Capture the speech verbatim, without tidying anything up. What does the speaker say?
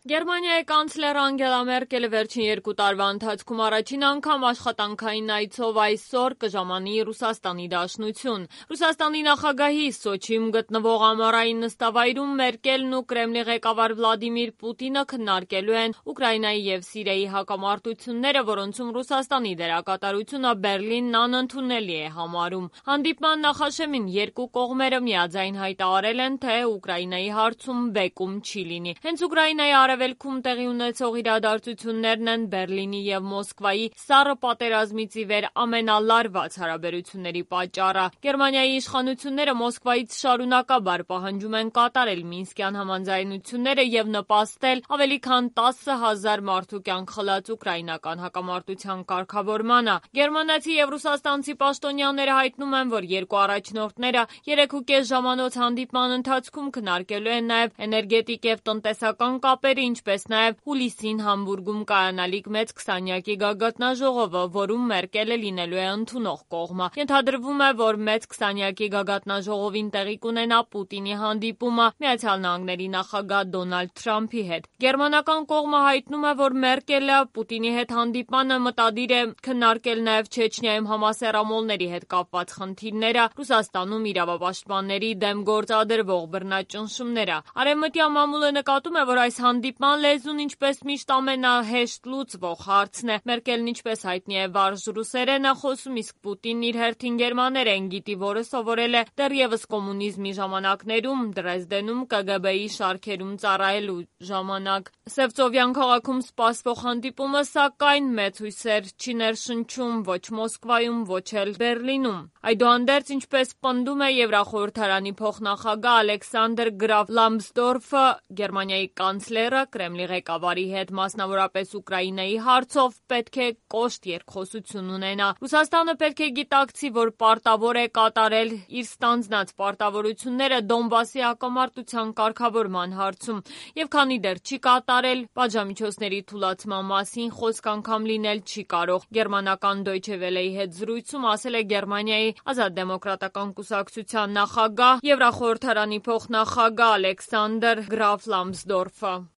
Գերմանիայի կանցլեր Անգելա Մերկելը վերջին երկու տարվա ընթացքում առաջին անգամ աշխատանքային այցով այսօր կժամանի Ռուսաստանի Դաշնություն։ Ռուսաստանի նախագահի Սոչիում գտնվող ամառային նստավայրում Մերկելն ու Կրեմլի ղեկավար Վլադիմիր Պուտինը քննարկելու են Ուկրաինայի և Սիրիայի հակամարտությունները, որոնցում Ռուսաստանի դերակատարությունը Բեռլինն անընդունելի է համարում։ Հանդիպման նախաշեմին երկու կողմերը միաձայն հայտարարել են, թե Ուկրաինայի հարցում բեկում չի լինի։ Հենց Ուկրաինայի Արևելքում տեղի ունեցող իրադարձություններն են Բեռլինի և Մոսկվայի սառը պատերազմից ի վեր ամենալարված հարաբերությունների պատճառը։ Գերմանիայի իշխանությունները Մոսկվայից շարունակաբար պահանջում են կատարել Մինսկյան համաձայնությունները և նպաստել ավելի քան տասը հազար մարդու կյանք խլած ուկրաինական հակամարտության կարգավորմանը։ Գերմանացի և ռուսաստանցի պաշտոնյաները հայտնում են, որ երկու առաջնորդները երեք ու կես ժամանոց հանդիպման ընթացքում քննարկելու են նաև էներգետիկ և տնտեսական կապերը, ինչպես նաև հուլիսին Համբուրգում կայանալիք մեծ քսանյակի գագաթնաժողովը, որում Մերկելը լինելու է ընդունող կողմը։ Ենթադրվում է, որ մեծ քսանյակի գագաթնաժողովին տեղի կունենա Պուտինի հանդիպումը Միացյալ Նահանգների նախագահ Դոնալդ Թրամփի հետ։ Գերմանական կողմը հայտնում է, որ Մերկելը Պուտինի հետ հանդիպմանը մտադիր է քննարկել նաև Չեչնիայում համասեռամոլների հետ կապված խնդիրները, Ռուսաստանում իրավապաշտպանների դեմ գործադրվող բռնաճնշումները։ Արևմտյան մամուլը նկատում է, որ այս հանդիպման լեզուն ինչպես միշտ ամենահեշտ լուծվող հարցն է։ Մերկելն ինչպես հայտնի է վարժ ռուսերեն է խոսում, իսկ Պուտինն իր հերթին գերմաներեն գիտի, որը սովորել է դեռևս կոմունիզմի ժամանակներում Դրեզդենում ԿԳԲ-ի շարքերում ծառայելու ժամանակ։ Սևծովյան քաղաքում սպասվող հանդիպումը, սակայն, մեծ հույսեր չի ներշնչում ոչ Մոսկվայում, ոչ էլ Բեռլինում։ Այդուհանդերձ, ինչպես պնդում է Եվրախորհրդարանի փոխնախագահ Ալեքսանդր Գրաֆ Լամսդորֆը, Գերմանիայի կանցլերը Կրեմլի ղեկավարի հետ, մասնավորապես Ուկրաինայի հարցով, պետք է կոշտ երկխոսություն ունենա։ Ռուսաստանը պետք է գիտակցի, որ պարտավոր է կատարել իր ստանձնած պարտավորությունները Դոնբասի հակամարտության կարգավորման հարցում, և քանի դեռ չի կատարել, պատժամիջոցների թուլացման մասին խոսք անգամ լինել չի կարող։ Գերմանական Դոյչե Վելեի հետ զրույցում ասել է Գերմանիայի Ազատ դեմոկրատական կուսակցության նախագահ, Եվրախորհրդարանի փոխնախագահ Ալեքսանդր Գրաֆ Լամսդորֆը։